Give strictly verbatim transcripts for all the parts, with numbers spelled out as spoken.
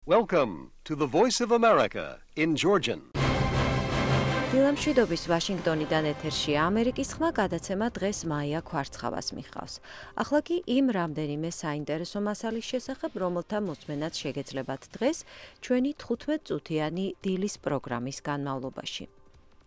Welcome to the Voice of America in Georgian. დილამ შვიდობის ვაშინგტონიდან ეთერშია ამერიკის ხმა გადაცემა დღეს მაია ქვარცხავას მიხავს. ახლა კი იმ რამდენიმე საინტერესო მასალის შესახებ, რომელთა მოსმენაც შეგეძლებათ დღეს ჩვენი თხუთმეტ წუთიანი დილის პროგრამის განმავლობაში.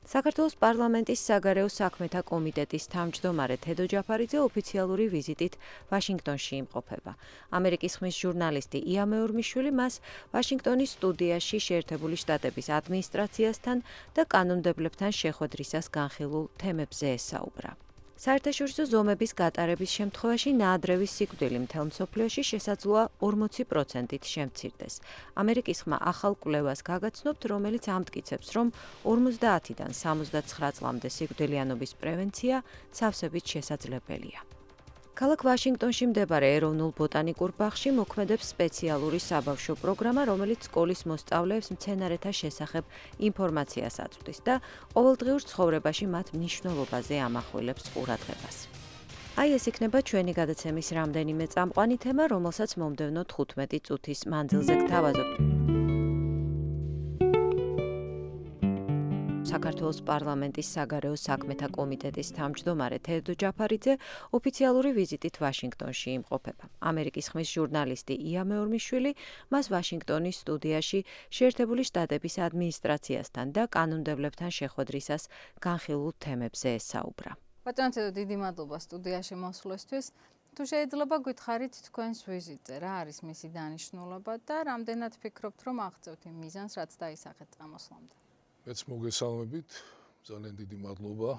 საქართველოს პარლამენტის საგარეო საქმეთა კომიტეტის თავმჯდომარე თედო ჯაფარიძე ოფიციალური ვიზიტით ვაშინგტონში იმყოფება. ამერიკის ხმის ჟურნალისტი ია მეორმიშვილი მას ვაშინგტონის სტუდიაში შეერთებული შტატების ადმინისტრაციასთან და კანონმდებლებთან შეხვედრისას განხილულ თემებზე ესაუბრა. საერთაშორისო ზომების გატარების შემთხვევაში ნაადრევის სიკვდილი მთელ მსოფლიოში შესაძლოა ორმოცი პროცენტით შემცირდეს. ამერიკის ხმა ახალ კვლევას გაგაცნობთ, რომელიც ამტკიცებს, რომ ორმოცდაათიდან სამოცდაცხრა წლამდე სიკვდილიანობის პრევენცია სავსებით შესაძლებელია. ქალაქ ვაშინგტონში მდებარე ეროვნულ ბოტანიკურ ბაღში მოქმედებს სპეციალური საბავშვო პროგრამა, რომელიც სკოლის მოსწავლეებს მცენარეთა შესახებ ინფორმაციას აწვდის და ყოველდღიურ ცხოვრებაში მათ მნიშვნელობაზე ამახვილებს ყურადღებას. აი ეს იქნება ჩვენი გადაცემის რამდენიმე წამყვანი თემა, რომელსაც მომდევნო თხუთმეტი წუთის მანძილზე გთავაზობთ. საქართველოს პარლამენტის საგარეო საქმეთა კომიტეტის თავმჯდომარე თედო ჯაფარიძე ოფიციალური ვიზიტით ვაშინგტონში იმყოფება. ამერიკის ხმის ჟურნალისტი ია მეორმიშვილი მას ვაშინგტონის სტუდიაში შეერთებული შტატების ადმინისტრაციასთან და კანონმდებლებთან შეხვედრისას განხილულ თემებზე ესაუბრა. ბატონო თედო, დიდი მადლობა სტუდიაში მოსვლისთვის. თუ შეიძლება გითხარით თქვენს ვიზიტზე, რა არის მისი დანიშნულება და რამდენად ფიქრობთ, რომ აღწევთ იმ მიზანს, რაც დაისახეთ წამოსვლამდე? მეც მოგესალმებით, ძალიან დიდი მადლობა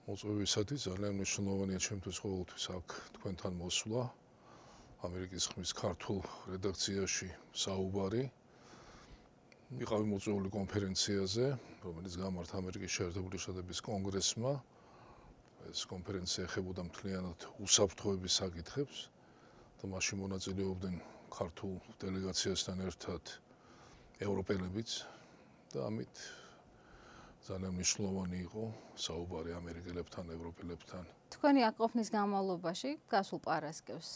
მოწვევისათვის, ძალიან მნიშვნელოვანია ჩემთვის ყოველთვის აქ თქვენთან მოსვლა. ამერიკის ხმის ქართულ რედაქციაში საუბარი. ვიყავი მოწვეული კონფერენციაზე, რომელიც გამართა ამერიკის შეერთებული შტატების კონგრესმა. ეს კონფერენცია ეხებოდა მთლიანად უსაფრთხოების საკითხებს და მასში მონაწილეობდნენ ქართულ დელეგაციასთან ერთად ევროპელებიც. და ამით ძალიან მნიშვნელოვანი იყო საუბარი ამერიკელებთან, ევროპელებთან. თქვენი აკყოფნის განმავლობაში გასულ პარასკევს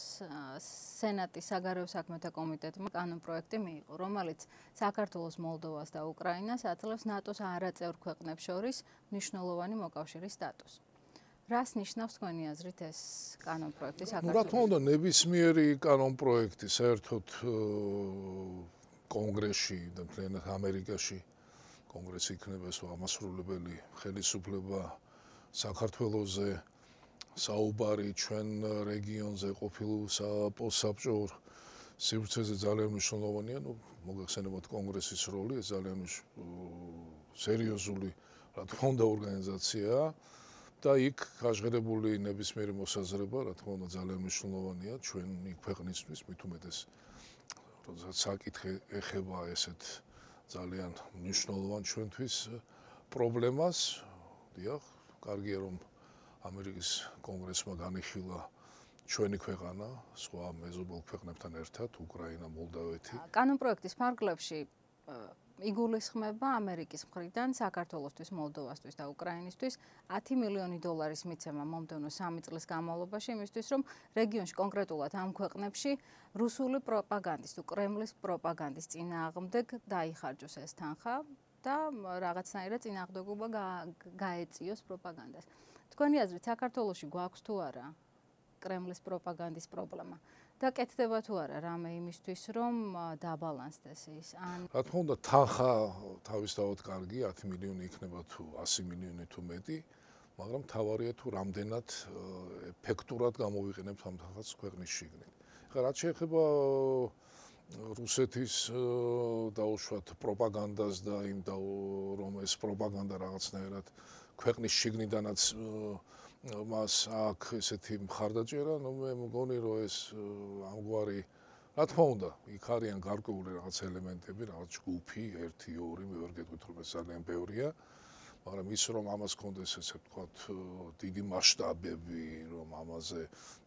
სენატის საგარეო საქმეთა კომიტეტმა კანონპროექტი მიიღო, რომელიც საქართველოს, მოლდოვას და უკრაინას აძლევს ნატოს არაწევრ ქვეყნებს შორის მნიშვნელოვანი მოკავშირის სტატუსს. რას ნიშნავს თქვენი აზრით ეს კანონპროექტი საქართველოს? რა თქმა უნდა, ნებისმიერი კანონპროექტი საერთოდ კონგრესში და მთლიანად ამერიკაში კონგრესი იქნება ეს ამასრულებელი ხელისუფლება საქართველოზე საუბარი ჩვენ რეგიონზე ყოფილ საპოსაბჭო სივრცეზე ძალიან მნიშვნელოვანია. ნუ მოგეხსენებათ კონგრესის როლი, ეს ძალიან სერიოზული რა თქმა უნდა ორგანიზაციაა და იქ გაჟღერებული ნებისმიერი მოსაზრება რა თქმა უნდა ძალიან მნიშვნელოვანია ჩვენ იქ ქვეყნისთვის, მით უმეტეს როდესაც საკითხი ეხება ესეთ ძალიან მნიშვნელოვან ჩვენთვის პრობლემას. დიახ, კარგია რომ ამერიკის კონგრესმა განიხილა ჩვენი ქვეყანა სხვა მეზობელ ქვეყნებთან ერთად, უკრაინა, მოლდავეთი. კანონპროექტის ფარგლებში იგულისხმება ამერიკის მხრიდან საქართველოსთვის, მოლდოვასთვის და უკრაინისთვის ათი მილიონი დოლარის მიცემა მომდევნო სამი წლის განმავლობაში იმისთვის, რომ რეგიონში კონკრეტულად ამ ქვეყნებში რუსული პროპაგანდის თუ კრემლის პროპაგანდის წინააღმდეგ დაიხარჯოს ეს თანხა და რაღაცნაირად წინააღმდეგობა გაეწიოს პროპაგანდას. თქვენი აზრით, საქართველოში გვაქვს თუ არა კრემლის პროპაგანდის პრობლემა? და კეთდება თუ არა რამე იმისთვის, რომ დაბალანსდეს ის? ან რა თქმა უნდა, თანხა თავისთავად კარგი, ათი მილიონი იქნება თუ ასი მილიონი თუ მეტი, მაგრამ თავარია თუ რამდენად ეფექტურად გამოვიყენებთ ამ თანხას ქვეყნის შიგნით. ხა რაც შეეხება რუსეთის დაუშვათ პროპაგანდას და იმ რომ ეს პროპაგანდა რაღაცნაირად ქვეყნის შიგნიდანაც მას აქ ესეთი მხარდაჭერა, ნუ მე მგონი რომ ეს ამგვარი რა თქმა უნდა, იქ არიან გარკვეული რაღაც ელემენტები, რაღაც ჯგუფი, ერთი, ორი, მე ვერ გეტყვით რომ ეს ძალიან ბევრია, მაგრამ ის რომ ამას კონდეს ესე ვთქვათ დიდი მასშტაბები, რომ ამაზე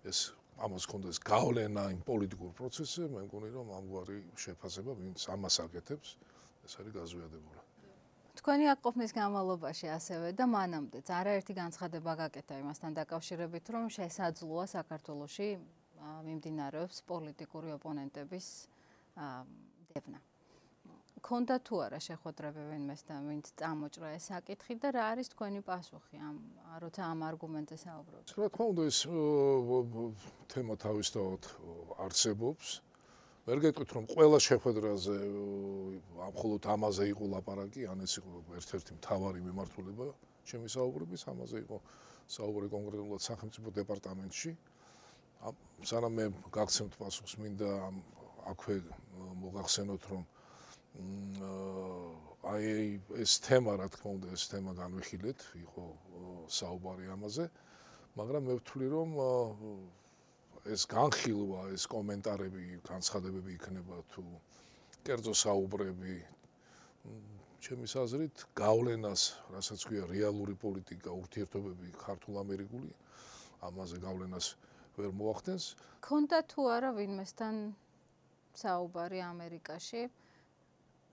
ეს ამას კონდეს გავლენა იმ პოლიტიკურ პროცესზე, მე მგონი რომ ამგვარი შეფასება ვინც ამას აკეთებს, ეს არის გაზვიადებული. თქვენი აკყოფნის განმავლობაში ასევე და მანამდეც არაერთი განცხადება გაკეთა იმასთან დაკავშირებით, რომ შესაძლოა საქართველოში მიმდინარეობს პოლიტიკური ოპონენტების დევნა. Ქონდა თუ არა შეხვედრები ვინმესთან, ვინც წამოჭრა ეს საკითხი და რა არის თქვენი პასუხი ამ როცა ამ არგუმენტზე საუბრობთ? რა თქმა უნდა ეს თემა თავისთავად არსებობს. ვერ გეტყვით რომ ყველა შეხვედრაზე მხოლოდ ამაზე იყო ლაპარაკი, ან ეს იყო ერთ-ერთი მთავარი მიმართულება ჩემი საუბრების, ამაზე იყო საუბარი კონკრეტულად სახელმწიფო დეპარტამენტში. სანამ მე გაგცემთ პასუხს, მინდა აქვე მოგახსენოთ რომ აი ეს თემა, რა თქმა უნდა, ეს თემა განვიხილეთ, იყო საუბარი ამაზე, მაგრამ მე ვთვლი რომ ეს განხილვა, ეს კომენტარები, განცხადებები იქნება თუ კერძო საუბრები, ჩემის აზრით, გავლენას, რასაც ქვია რეალური პოლიტიკა, ურთიერთობები ქართულ-ამერიკული, ამაზე გავლენას ვერ მოახდენს. ქონდა თუ არა ვინმესთან საუბარი ამერიკაში?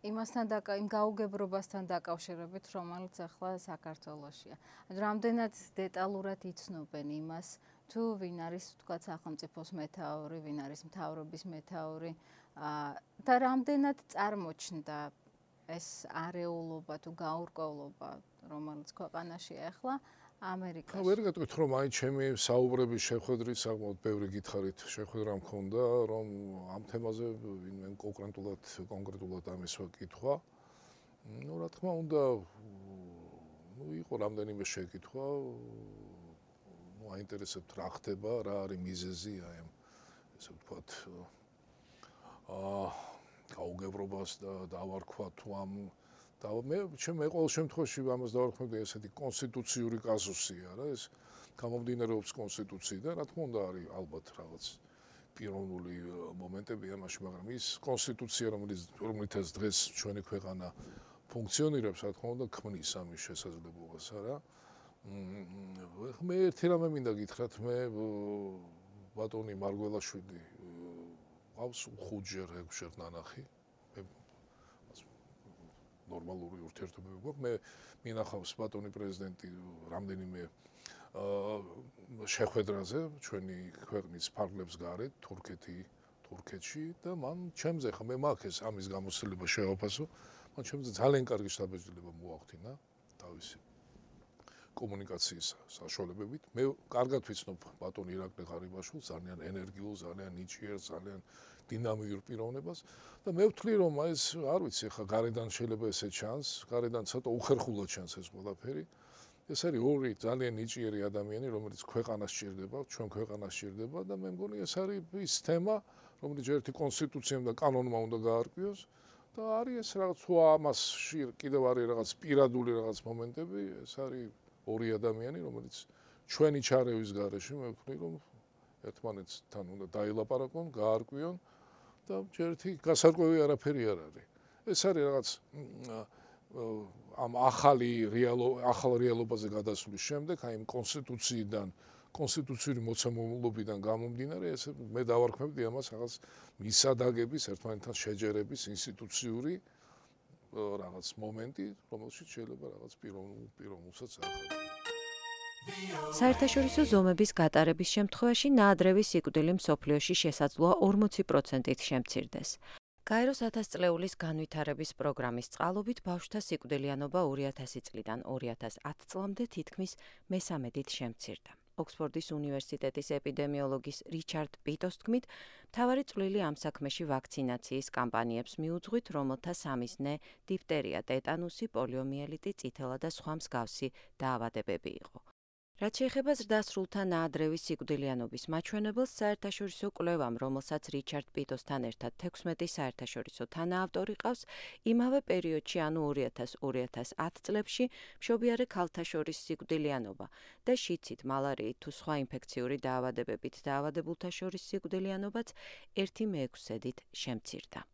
იმასთან დაკა იმ გაუგებრობასთან დაკავშირებით, რომელიც ახლა საქართველოშია. რამდენად დეტალურად იცნობენ იმას, თუ ვინ არის თქვა სახელმწიფოს მეთაური, ვინ არის მთავრობის მეთაური და რამდენად წარმოჩნდა ეს არეულობა თუ გაურკვევლობა, რომელიც ქვეყანაშია ახლა ამერიკაში. ვერ გეტყვით რომ აი ჩემი საუბრების შეხვედრით საკმაოდ ბევრი გითხარით შეხვედრა მქონდა, რომ ამ თემაზე ვინმე კონკრეტულად კონკრეტულად ამისვა კითხვა. ნუ რა თქმა უნდა, ნუ იყო რამდენიმე შეკითხვა, ნუ აინტერესებთ რა ხდება, რა არის მიზეზი აი ამ ესე ვთქვათ აა გაუგებრობას და დავარქვა თუ ამ და მე ჩემ ყოველ შემთხვევაში ამას დავარქმევდი ესეთი კონსტიტუციური კაზუსია რა ეს გამომდინარეობს კონსტიტუციიდან რა თქმა უნდა არის ალბათ რაღაც პიროვნული მომენტები ამაში მაგრამ ის კონსტიტუცია რომელიც რომელთაც დღეს ჩვენი ქვეყანა ფუნქციონირებს რა თქმა უნდა ქმნის ამის შესაძლებლობას არა მე ერთი რამე მინდა გითხრათ მე ბატონი მარგველაშვილი ყავს ხუთჯერ ექვსჯერ ნანახი ნორმალური ურთიერთობები გვაქვს. მე მინახავს ბატონი პრეზიდენტი რამდენიმე შეხვედრაზე ჩვენი ქვეყნის ფარგლებს გარეთ, თურქეთი, თურქეთში და მან ჩემზე ხა მე მაქვს ამის გამოცდილება შევაფასო. მან ჩემზე ძალიან კარგი შთაბეჭდილება მოახდინა თავისი კომუნიკაციის საშუალებებით. მე კარგად ვიცნობ ბატონ ირაკლი ღარიბაშვილს, ძალიან ენერგიულ, ძალიან ნიჭიერ, ძალიან დინამიურ პიროვნებას და მე ვთვლი რომ ეს არ ვიცი ხა გარედან შეიძლება ესე ჩანს, გარედან ცოტა უხერხულად ჩანს ეს ყველაფერი. ეს არის ორი ძალიან ნიჭიერი ადამიანი, რომელიც ქვეყანას სჭირდება, ჩვენ ქვეყანას სჭირდება და მე მგონი ეს არის ის თემა, რომელიც ერთი კონსტიტუციამ და კანონმა უნდა გაარკვიოს და არის ეს რაღაც თუ ამასში კიდევ არის რაღაც პირადული რაღაც მომენტები, ეს არის ორი ადამიანი, რომელიც ჩვენი ჩარევის გარეშე მე ვთვლი რომ ერთმანეთთან უნდა დაილაპარაკონ, გაარკვიონ და ერთი გასარკვევი არაფერი არ არის. ეს არის რაღაც ამ ახალი რეალობა, ახალ რეალობაზე გადასვლის შემდეგ, აი იმ კონსტიტუციიდან, კონსტიტუციური მოცემულობიდან გამომდინარე, ეს მე დავარქმევდი ამას რაღაც მისადაგების, ერთმანეთთან შეჯერების ინსტიტუციური რაღაც მომენტი, რომელშიც შეიძლება რაღაც პიროვნულ პიროვნულსაც აღადგინოს. საერთაშორისო ზომების გატარების შემთხვევაში ნაადრევი სიკვდილი მსოფლიოში შესაძლოა ორმოცი პროცენტით შემცირდეს. გაეროს ათასწლეულის განვითარების პროგრამის წყალობით ბავშვთა სიკვდილიანობა ორი ათასი წლიდან ორი ათას ათ წლამდე თითქმის მესამედით შემცირდა. ოქსფორდის უნივერსიტეტის ეპიდემიოლოგის რიჩარდ პიტოს თქმით, მთავარი წვლილი ამ საქმეში ვაქცინაციის კამპანიებს მიუძღვით, რომელთა სამიზნე დიფტერია, ტეტანუსი, პოლიომიელიტი, წითელა და სხვა მსგავსი დაავადებები იყო. რაც შეეხება ზრდასრულთა ნაადრევი სიკვდილიანობის მაჩვენებელს, საერთაშორისო კვლევამ, რომელსაც რიჩარდ პიტოსთან ერთად თექვსმეტი საერთაშორისო თანაავტორი ყავს, იმავე პერიოდში, ანუ ორი ათას ორი ათას ათ წლებში, მშობიარე ქალთა შორის სიკვდილიანობა და შიცით, მალარიით თუ სხვა ინფექციური დაავადებებით დაავადებულთა შორის სიკვდილიანობაც ერთი მეექვსედით შემცირდა.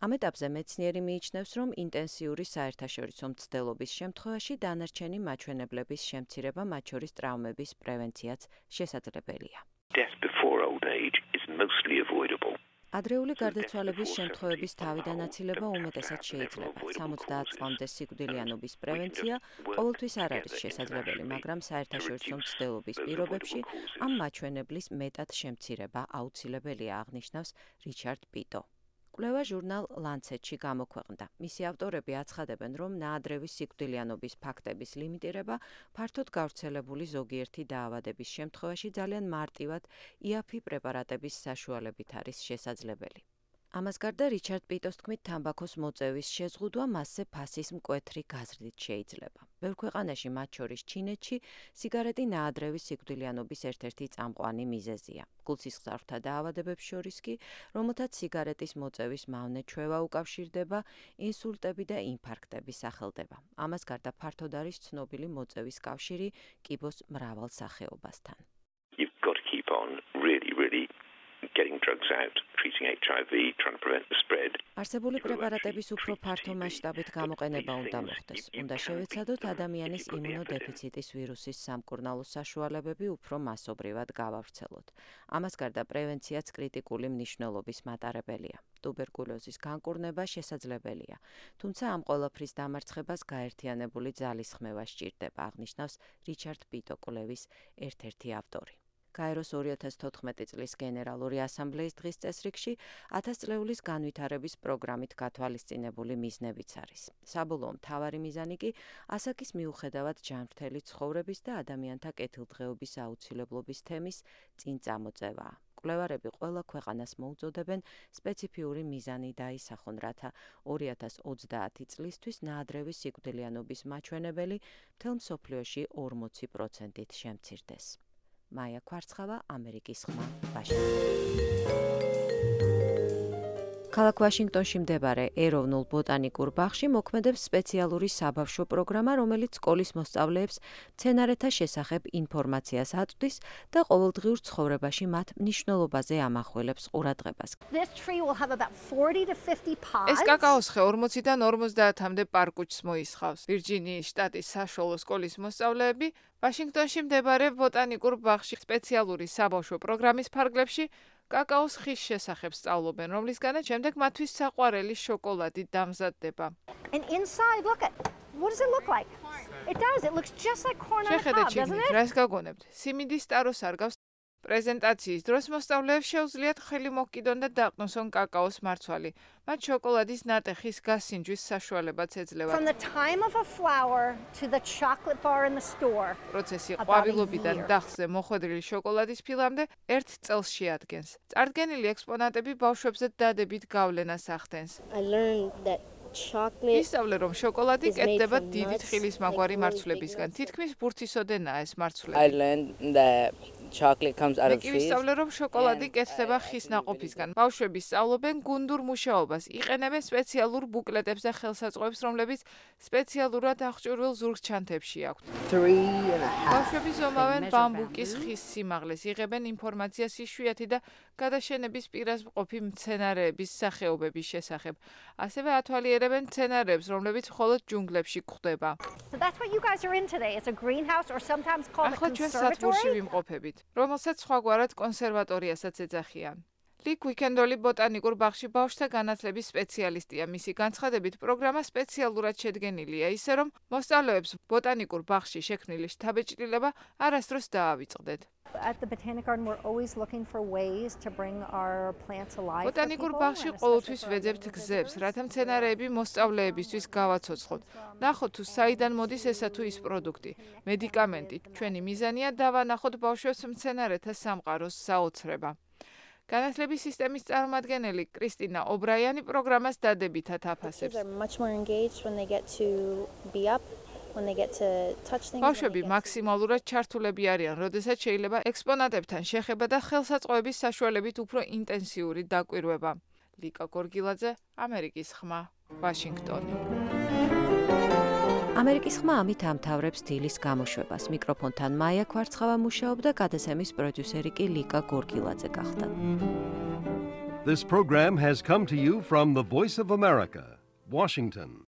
ამ ეტაპზე მეცნიერი მიიჩნევს, რომ ინტენსიური საერთაშორისო მცდელობის შემთხვევაში დანარჩენი მაჩვენებლების შემცირება, მათ შორის ტრაუმების პრევენციაც შესაძლებელია. ადრეული გარდაცვალების შემთხვევების თავიდან აცილება უმეტესად შეიძლება. სამოცდაათ წლამდე სიკვდილიანობის პრევენცია ყოველთვის არ არის შესაძლებელი, მაგრამ საერთაშორისო მცდელობის პირობებში ამ მაჩვენებლის მეტად შემცირება აუცილებელია, აღნიშნავს რიჩარდ პიტო. კვლევა ჟურნალ Lancet-ში გამოქვეყნდა. მისი ავტორები აცხადებენ, რომ ნაადრევის სიკვდილიანობის ფაქტების ლიმიტირება ფართოდ გავრცელებული ზოგიერთი დაავადების შემთხვევაში ძალიან მარტივად იაფი პრეპარატების საშუალებით არის შესაძლებელი. ამას გარდა რიჩარდ პიტოს თქმით, თამბაქოს მოწევის შეზღუდვა მასზე ფასის მკვეთრი გაზრდით შეიძლება. ბევრ ქვეყანაში, მათ შორის ჩინეთში, სიგარეტი ნაადრევის სიკვდილიანობის ერთ-ერთი წამყვანი მიზეზია. გულსისხლძარღვთა დაავადებებს შორის კი, რომელთაც სიგარეტის მოწევის მავნე ჩვევა უკავშირდება, ინსულტები და ინფარქტები სახელდება. ამას გარდა ფართოდ არის ცნობილი მოწევის კავშირი კიბოს მრავალ სახეობასთან. You've got to keep on really, really getting drugs out, treating H I V, trying to prevent the spread. არსებული პრეპარატების უფრო ფართო მასშტაბით გამოყენება უნდა მოხდეს. უნდა შევეცადოთ ადამიანის იმუნოდეფიციტის ვირუსის სამკურნალო საშუალებები უფრო მასობრივად გავავრცელოთ. ამას გარდა პრევენციაც კრიტიკული მნიშვნელობის მატარებელია. ტუბერკულოზის განკურნება შესაძლებელია, თუმცა ამ ყველაფრის დამარცხებას გაერთიანებული ძალისხმევა სჭირდება, აღნიშნავს რიჩარდ პიტო კვლევის ერთ-ერთი ავტორი. გაეროს ორი ათას თოთხმეტი წლის გენერალური ასამბლეის დღის წესრიგში ათასწლეულის განვითარების პროგრამით გათვალისწინებული მიზნებიც არის. საბოლოო მთავარი მიზანი კი ასაკის მიუხედავად ჯანმრთელი ცხოვრების და ადამიანთა კეთილდღეობის აუცილებლობის თემის წინ წამოწევაა. კვლევარები ყველა ქვეყანას მოუწოდებენ სპეციფიური მიზანი დაისახონ, რათა ორი ათას ოცდაათი წლისთვის ნაადრევის სიკვდილიანობის მაჩვენებელი მთელ მსოფლიოში ორმოცი პროცენტით შემცირდეს. მაია კვარცხავა, ამერიკის ხმა, ვაშინგტონი. ქალაქ ვაშინგტონში მდებარე ეროვნულ ბოტანიკურ ბაღში მოქმედებს სპეციალური საბავშვო პროგრამა, რომელიც სკოლის მოსწავლეებს მცენარეთა შესახებ ინფორმაციას აწვდის და ყოველდღიურ ცხოვრებაში მათ მნიშვნელობაზე ამახვილებს ყურადღებას. ეს კაკაოს ხე ორმოციდან ორმოცდაათამდე პარკუჩს მოისხავს. ვირჯინიის შტატის საშუალო სკოლის მოსწავლეები ვაშინგტონში მდებარე ბოტანიკურ ბაღში სპეციალური საბავშვო პროგრამის ფარგლებში კაკაოს ხის შესახებ სწავლობენ, რომლისგანაც შემდეგ მათთვის საყვარელი შოკოლადი დამზადდება. შეხედეთ შიგნით, რას გაგონებთ? სიმინდის ტაროს არგავს. პრეზენტაციის დროს მოსწავლეებს შეუძლიათ ხელი მოკიდონ და დაყნოსონ კაკაოს მარცვალი. მათ შოკოლადის ნატეხის გასინჯვის საშუალებაც ეძლევა. პროცესი ყვავილობიდან დახზე მოხვედრილი შოკოლადის ფილამდე ერთ წელს შეადგენს. წარდგენილი ექსპონატები ბავშვებზე დადებით გავლენას ახდენს. ისწავლე, რომ შოკოლადი კეთდება დიდი თხილის მაგვარი მარცვლებისგან. თითქმის ბურთისოდენაა ეს მარცვლები. მე კი ვისწავლე, რომ შოკოლადი კეთდება ხის ნაყოფისგან. ბავშვები სწავლობენ გუნდურ მუშაობას, იყენებენ სპეციალურ ბუკლეტებს და ხელსაწყოებს, რომლებიც სპეციალურად აღჭურვილ ზურგჩანთებში აქვთ. ბავშვები ზომავენ ბამბუკის ხის სიმაღლეს, იღებენ ინფორმაციას იშვიათი და გადაშენების პირას მყოფი მცენარეების სახეობების შესახებ. ასევე ათვალიერებენ მცენარეებს, რომლებიც მხოლოდ ჯუნგლებში გვხვდება. ახლა ჩვენ სადგურში ვიმყოფებით, რომელსაც სხვაგვარად კონსერვატორიასაც ეძახიან. ლიკ უიკენდოლი ბოტანიკურ ბაღში ბავშვთა განათლების სპეციალისტია. მისი განცხადებით, პროგრამა სპეციალურად შედგენილია, ისე რომ მოსწავლეებს ბოტანიკურ ბაღში შექმნილი შთაბეჭდილება არასდროს დაავიწყდეთ. ბოტანიკურ ბაღში ყოველთვის ვეძებთ გზებს, რათა მცენარეები მოსწავლეებისთვის გავაცოცხლოთ. ნახოთ თუ საიდან მოდის ესა თუ ის პროდუქტი, მედიკამენტი. ჩვენი მიზანია დავანახოთ ბავშვებს მცენარეთა სამყაროს საოცრება. განათლების სისტემის წარმომადგენელი კრისტინა ობრაიანი პროგრამას დადებითად აფასებს. ბავშვები მაქსიმალურად ჩართულები არიან, როდესაც შეიძლება ექსპონატებთან შეხება და ხელსაწყოების საშუალებით უფრო ინტენსიური დაკვირვება. ლიკა გორგილაძე, ამერიკის ხმა, ვაშინგტონი. ამერიკის ხმა ამით ამთავრებს დილის გამოშვებას. მიკროფონთან მაია კვარცხავა მუშაობდა, გადაცემის პროდიუსერი კი ლიკა გორგილაძე გახდა. This program has come to you from the Voice of America, Washington.